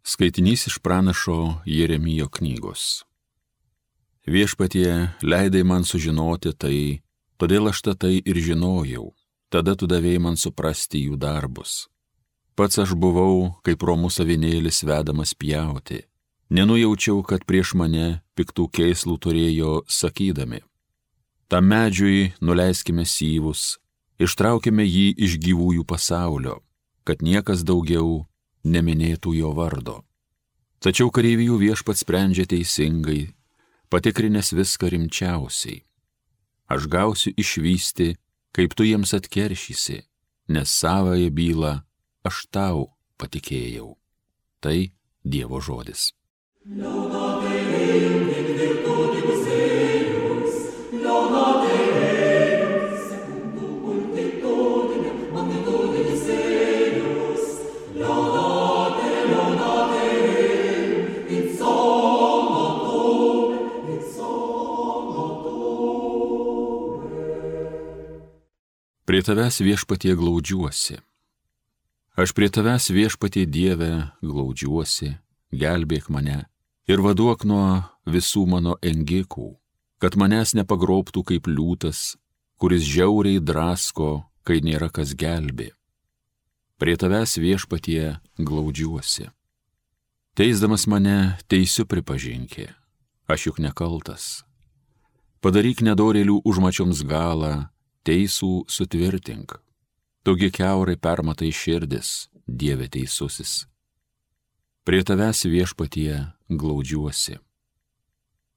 Skaitinys iš pranašo Jeremijo knygos. Viešpatie, leidai man sužinoti tai, todėl aš tai ir žinojau, tada tu davėjai man suprasti jų darbus. Pats aš buvau, kaip romus avinėlis vedamas pjauti. Nenujaučiau, kad prieš mane piktų kėslų turėjo sakydami. Tam medžiui nuleiskime syvus, ištraukime jį iš gyvųjų pasaulio, kad niekas daugiau neminėtų jo vardo. Tačiau kareivijų Viešpats sprendžia teisingai, patikrinęs viską rimčiausiai. Aš gausiu išvysti, kaip tu jiems atkeršysi, nes savąją bylą aš tau patikėjau. Tai Dievo žodis. Prie tavęs Viešpatie glaudžiuosi. Aš prie tavęs Viešpatie Dieve glaudžiuosi, gelbėk mane ir vaduok nuo visų mano engikų, kad manęs nepagrobtų kaip liūtas, kuris žiauriai drasko, kai nėra kas gelbė. Prie tavęs Viešpatie glaudžiuosi. Teisdamas mane teisiu pripažinkė, aš juk nekaltas. Padaryk nedorėlių užmačioms galą, teisų sutvirtink. Tugi kiaurai permatai širdis, Dieve teisusis. Prie tavęs Viešpatie glaudžiuosi.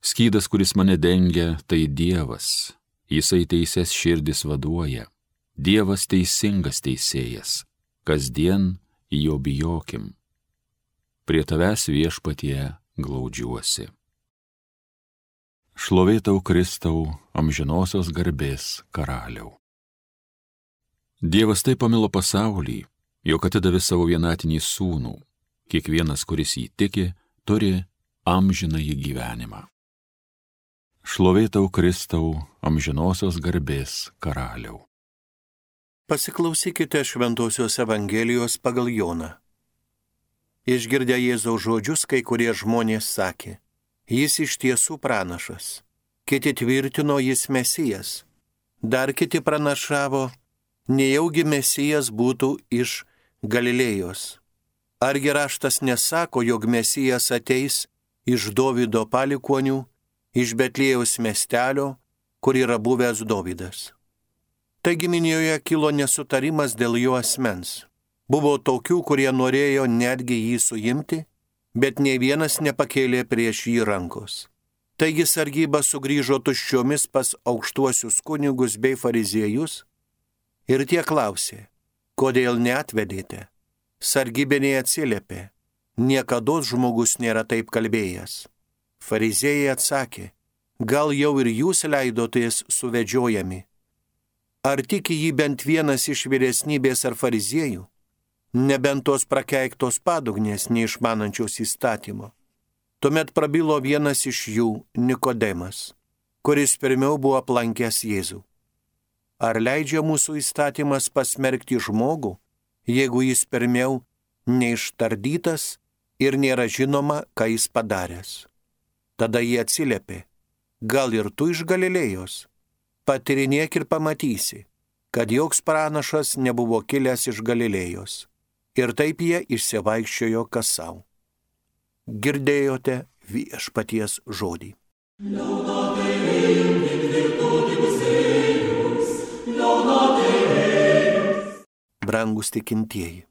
Skydas, kuris mane dengia, tai Dievas, jisai teises širdis vaduoja. Dievas teisingas teisėjas, kasdien jo bijokim. Prie tavęs Viešpatie glaudžiuosi. Šlovė tau Kristau, amžinosios garbės karaliau. Dievas taip pamilo pasaulį, jog atidavė savo vienatinį sūnų. Kiekvienas, kuris jį tiki, turi amžinąjį gyvenimą. Šlovė tau Kristau, amžinosios garbės karaliau. Pasiklausykite Šventosios Evangelijos pagal Joną. Išgirdę Jėzaus žodžius, kai kurie žmonės sakė: Jis iš tiesų pranašas. Kiti tvirtino, jis Mesijas. Dar kiti pranašavo, nejaugi Mesijas būtų iš Galilėjos. Argi raštas nesako, jog Mesijas ateis iš Dovydo palikuonių, iš Betliejaus miestelio, kur yra buvęs Dovydas. Taigi Minioje kilo nesutarimas dėl jo asmens. Buvo tokių, kurie norėjo netgi jį suimti, bet nei vienas nepakėlė prieš jį rankos. Taigi sargyba sugrįžo tuščiomis pas aukštuosius kunigus bei fariziejus ir tie klausė: kodėl neatvedėte? Sargybiniai atsiliepė: niekados žmogus nėra taip kalbėjęs. Fariziejai atsakė: gal jau ir jūs leidotės suvedžiojami? Ar tiki jį bent vienas iš vyresnybės ar fariziejų? Nebent tos prakeiktos padugnės neišmanančios įstatymo. Tuomet prabilo vienas iš jų, Nikodemas, kuris pirmiau buvo aplankęs Jėzų. Ar leidžia mūsų įstatymas pasmerkti žmogų, jeigu jis pirmiau neištardytas ir nėra žinoma, ką jis padaręs? Tada jie atsiliepė: gal ir tu iš Galilėjos? Patyrinėk ir pamatysi, kad joks pranašas nebuvo kilęs iš Galilėjos. Ir taip jie išsivaikščiojo kas savo. Girdėjote Viešpaties žodį. Brangus tikintieji,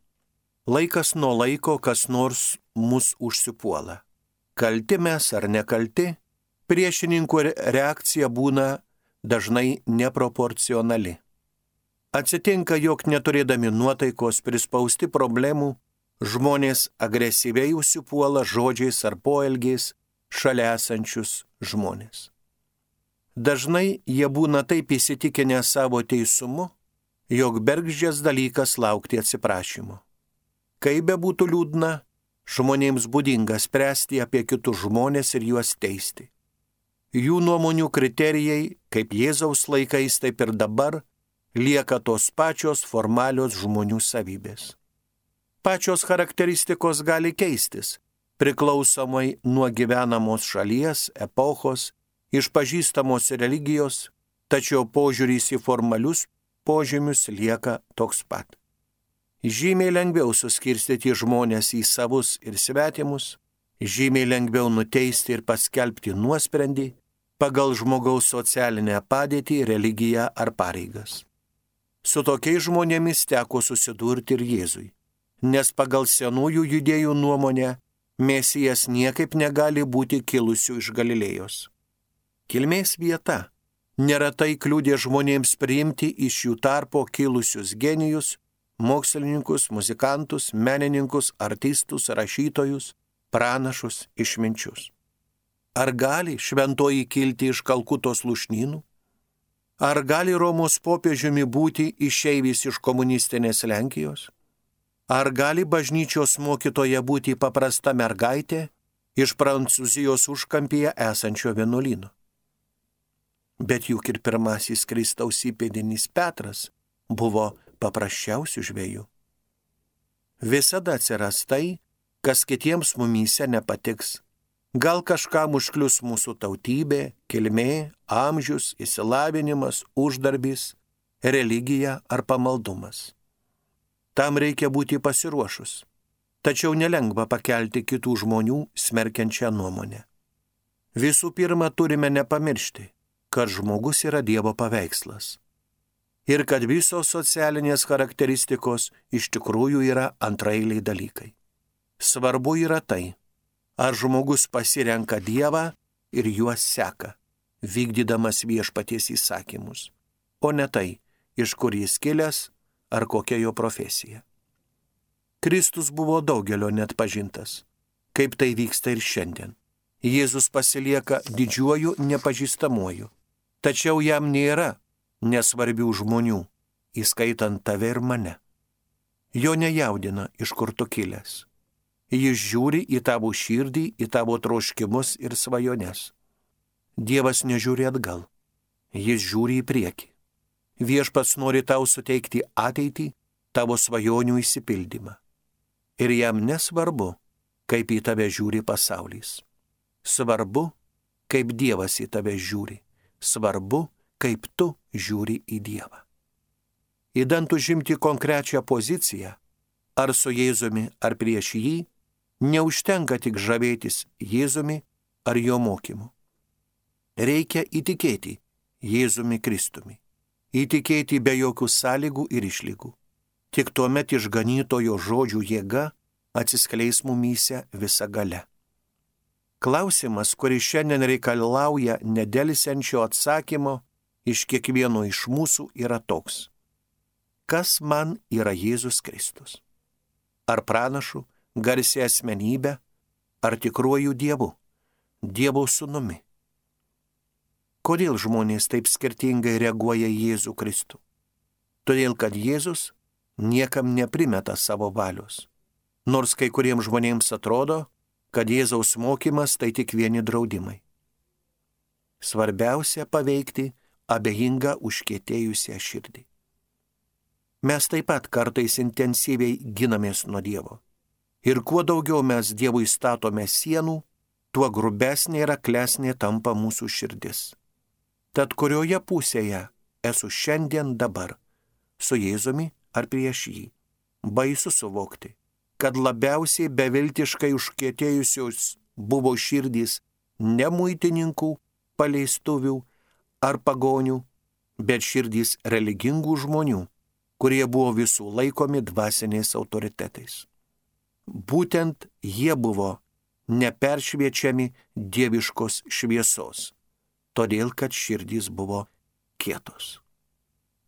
laikas nuo laiko kas nors mus užsipuola. Kalti mes ar nekalti, priešininkų reakcija būna dažnai neproporcionali. Atsitinka, jog neturėdami nuotaikos prispausti problemų, žmonės agresyviai užsipuola žodžiais ar poelgiais šalia esančius žmonės. Dažnai jie būna taip įsitikinę savo teisumu, jog bergždžias dalykas laukti atsiprašymo. Kaip bebūtų liūdna, žmonėms būdinga spręsti apie kitus žmonės ir juos teisti. Jų nuomonių kriterijai, kaip Jėzaus laikais, taip ir dabar, lieka tos pačios formalios žmonių savybės. Pačios charakteristikos gali keistis, priklausomai nuo gyvenamos šalies, epochos, išpažįstamos religijos, tačiau požiūris į formalius požymius lieka toks pat. Žymiai lengviau suskirstyti žmonės į savus ir svetimus, žymiai lengviau nuteisti ir paskelbti nuosprendį pagal žmogaus socialinę padėtį, religiją ar pareigas. Su tokiais žmonėmis teko susidurti ir Jėzui, nes pagal senųjų judėjų nuomonę Mesijas niekaip negali būti kilusių iš Galilėjos. Kilmės vieta neretai kliudė žmonėms priimti iš jų tarpo kilusius genijus, mokslininkus, muzikantus, menininkus, artistus, rašytojus, pranašus, išminčius. Ar gali šventoji kilti iš Kalkutos lūšnynų? Ar gali Romos popiežiumi būti išeivis iš komunistinės Lenkijos? Ar gali bažnyčios mokytoja būti paprasta mergaitė iš Prancūzijos užkampyje esančio vienuolyno? Bet juk ir pirmasis Kristaus įpėdinis Petras buvo paprasčiausių žvejų. Visada atsiras tai, kas kitiems mumyse nepatiks. Gal kažkam užklius mūsų tautybė, kilmė, amžius, išsilavinimas, uždarbis, religija ar pamaldumas. Tam reikia būti pasiruošus, tačiau nelengva pakelti kitų žmonių smerkiančią nuomonę. Visų pirma, turime nepamiršti, kad žmogus yra Dievo paveikslas ir kad visos socialinės charakteristikos iš tikrųjų yra antraeiliai dalykai. Svarbu yra tai, ar žmogus pasirenka Dievą ir juos seka, vykdydamas viešpaties įsakymus, o ne tai, iš kur jis kilęs ar kokia jo profesija. Kristus buvo daugelio net pažintas, kaip tai vyksta ir šiandien. Jėzus pasilieka didžiuoju nepažįstamuoju, tačiau jam nėra nesvarbių žmonių, įskaitant tave ir mane. Jo nejaudina, iš kur tu kilęs. Jis žiūri į tavo širdį, į tavo troškimus ir svajones. Dievas nežiūri atgal, jis žiūri į priekį. Viešpats nori tau suteikti ateitį, tavo svajonių išsipildymą. Ir jam nesvarbu, kaip į tave žiūri pasaulis. Svarbu, kaip Dievas į tave žiūri. Svarbu, kaip tu žiūri į Dievą. Įdant užimti konkrečią poziciją, ar su Jėzumi, ar prieš jį, neužtenka tik žavėtis Jėzumi ar jo mokymu. Reikia įtikėti Jėzumi Kristumi. Įtikėti be jokių sąlygų ir išlygų. Tik tuomet išganytojo žodžių jėga atsiskleis mumyse visa galia. Klausimas, kuris šiandien reikalauja nedelsiančio atsakymo iš kiekvieno iš mūsų, yra toks. Kas man yra Jėzus Kristus? Ar pranašu, garsia asmenybė, ar tikruoju Dievu, Dievo sūnumi? Kodėl žmonės taip skirtingai reaguoja į Jėzų Kristų? Todėl, kad Jėzus niekam neprimeta savo valios. Nors kai kuriems žmonėms atrodo, kad Jėzaus mokymas tai tik vieni draudimai. Svarbiausia paveikti abejingą užkietėjusią širdį. Mes taip pat kartais intensyviai ginamės nuo Dievo. Ir kuo daugiau mes Dievui statome sienų, tuo grubesnė ir aklesnė tampa mūsų širdis. Tad kurioje pusėje esu šiandien dabar, su Jėzumi ar prieš jį? Baisu suvokti, kad labiausiai beviltiškai užkietėjusios buvo širdys ne muitininkų, paleistuvių ar pagonių, bet širdys religingų žmonių, kurie buvo visų laikomi dvasiniais autoritetais. Būtent jie buvo neperšviečiami dieviškos šviesos, todėl kad širdys buvo kietos.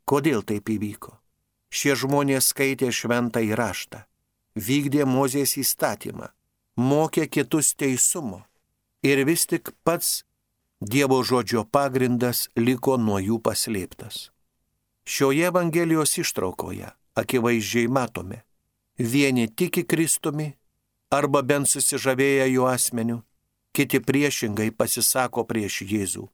Kodėl taip įvyko? Šie žmonės skaitė šventąjį raštą, vykdė Mozės įstatymą, mokė kitus teisumo ir vis tik pats Dievo žodžio pagrindas liko nuo jų paslėptas. Šioje Evangelijos ištraukoje akivaizdžiai matome, vieni tiki Kristumi arba bent susižavėję jo asmeniu, kiti priešingai pasisako prieš Jėzų,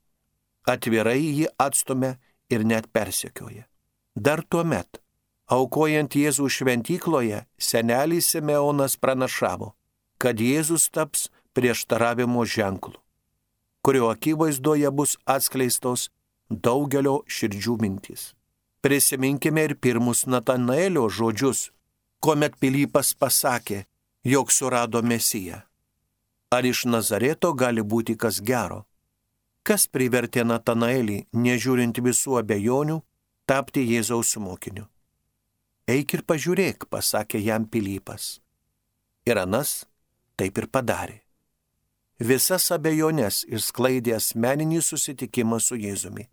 atvirai jį atstumia ir net persekioja. Dar tuomet, aukojant Jėzų šventykloje, senelis Simeonas pranašavo, kad Jėzus taps prieštaravimo ženklu, kurio akivaizdoje bus atskleistos daugelio širdžių mintys. Prisiminkime ir pirmus Natanaelio žodžius, kuomet Pilypas pasakė, jog surado Mesiją. Ar iš Nazareto gali būti kas gero? Kas privertė Natanaelį, nežiūrint visų abejonių, tapti Jėzaus mokiniu? Eik ir pažiūrėk, pasakė jam Pilypas. Ir anas taip ir padarė. Visas abejonės išsklaidė asmeninį susitikimą su Jėzumi.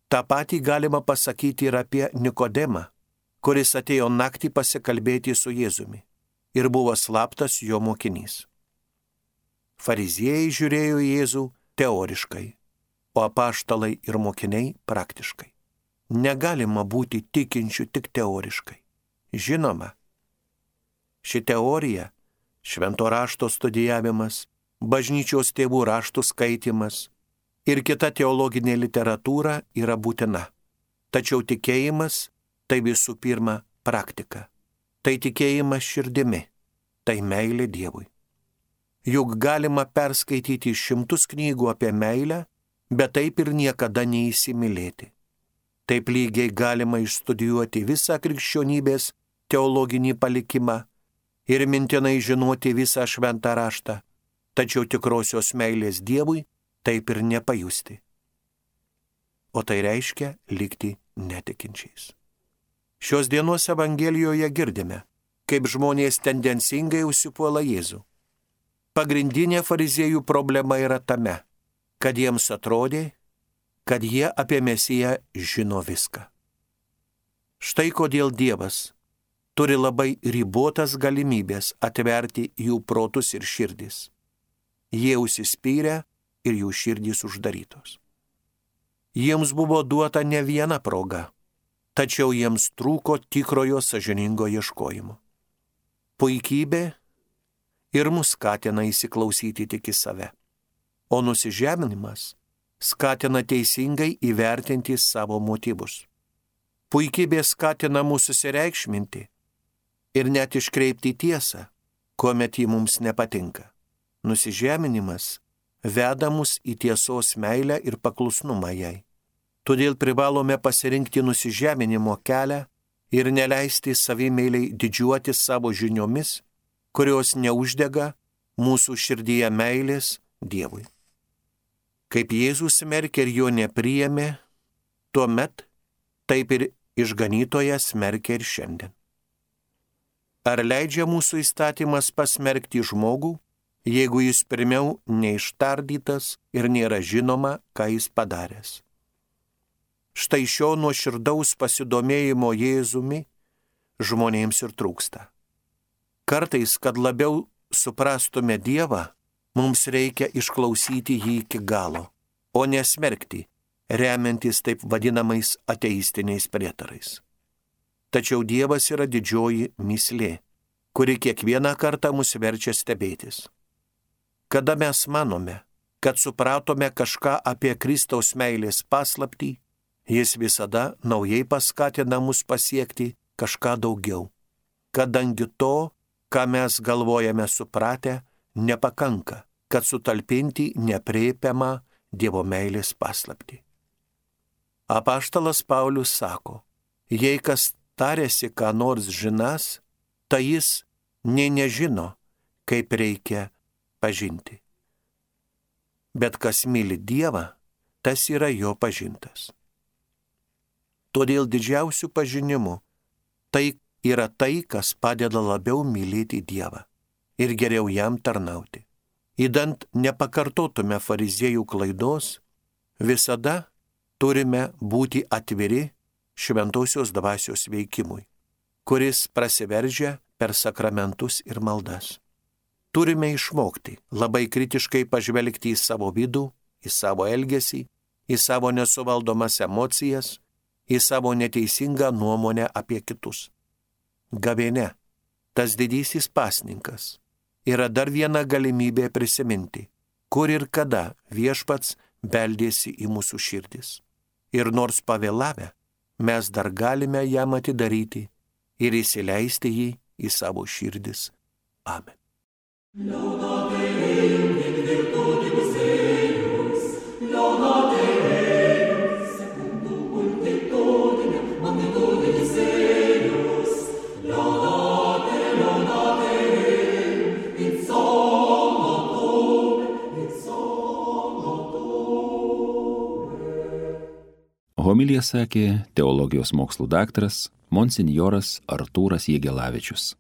Ta patį galima pasakyti ir apie Nikodemą, kuris atėjo naktį pasikalbėti su Jėzumi ir buvo slaptas jo mokinys. Fariziejai žiūrėjo į Jėzų teoriškai, o apaštalai ir mokiniai praktiškai. Negalima būti tikinčių tik teoriškai. Žinoma, ši teorija, švento rašto studijavimas, bažnyčios tėvų raštų skaitimas ir kita teologinė literatūra yra būtina. Tačiau tikėjimas tai visų pirma praktika. Tai tikėjimas širdimi, tai meilė Dievui. Juk galima perskaityti 100 knygų apie meilę, bet taip ir niekada neįsimylėti. Taip lygiai galima išstudijuoti visą krikščionybės teologinį palikimą ir mintinai žinoti visą šventą raštą, tačiau tikrosios meilės Dievui taip ir nepajusti. O tai reiškia likti netikinčiais. Šios dienos Evangelijoje girdime, kaip žmonės tendencingai užsipuola Jėzų. Pagrindinė fariziejų problema yra tame, kad jiems atrodė, kad jie apie Mesiją žino viską. Štai kodėl Dievas turi labai ribotas galimybės atverti jų protus ir širdis. Jie užsispyrę ir jų širdys uždarytos. Jiems buvo duota ne viena proga, tačiau jiems trūko tikrojo sąžiningo ieškojimo. Puikybė ir mus skatina įsiklausyti tik į save, o nusižeminimas skatina teisingai įvertinti savo motyvus. Puikybė skatina mūsų susireikšminti ir net iškreipti tiesą, kuomet ji mums nepatinka. Nusižeminimas veda mus į tiesos meilę ir paklusnumą jai. Todėl privalome pasirinkti nusižeminimo kelią ir neleisti savimeiliai didžiuoti savo žiniomis, kurios neuždega mūsų širdyje meilės Dievui. Kaip Jėzus smerkė ir jo nepriėmė, tuomet taip ir išganytojas smerkia ir šiandien. Ar leidžia mūsų įstatymas pasmerkti žmogų, jeigu jis pirmiau neištardytas ir nėra žinoma, ką jis padaręs? Štai šio nuoširdaus pasidomėjimo Jėzumi žmonėms ir trūksta. Kartais, kad labiau suprastume Dievą, mums reikia išklausyti jį iki galo, o nesmerkti, remiantis taip vadinamais ateistiniais prietarais. Tačiau Dievas yra didžioji mįslė, kuri kiekvieną kartą mus verčia stebėtis. Kada mes manome, kad supratome kažką apie Kristaus meilės paslaptį, jis visada naujai paskatina mus pasiekti kažką daugiau, kadangi to, ką mes galvojame supratę, nepakanka, kad sutalpinti nepriepiamą Dievo meilės paslaptį. Apaštalas Paulius sako, jei kas tarėsi, ką nors žinas, tai jis nė nežino, kaip reikia pažinti. Bet kas myli Dievą, tas yra jo pažintas. Todėl didžiausių pažinimų tai yra tai, kas padeda labiau mylėti Dievą ir geriau jam tarnauti. Įdant nepakartotume fariziejų klaidos, visada turime būti atviri šventosios dvasios veikimui, kuris prasiveržia per sakramentus ir maldas. Turime išmokti labai kritiškai pažvelgti į savo vidų, į savo elgesį, į savo nesuvaldomas emocijas, į savo neteisingą nuomonę apie kitus. Gavėnia, tas didysis pasninkas, yra dar viena galimybė prisiminti, kur ir kada Viešpats beldėsi į mūsų širdis. Ir nors pavėlavę, mes dar galime jam atidaryti ir įsileisti jį į savo širdis. Amen. Homiliją sakė teologijos mokslų daktaras monsinjoras Artūras Jėgelavičius.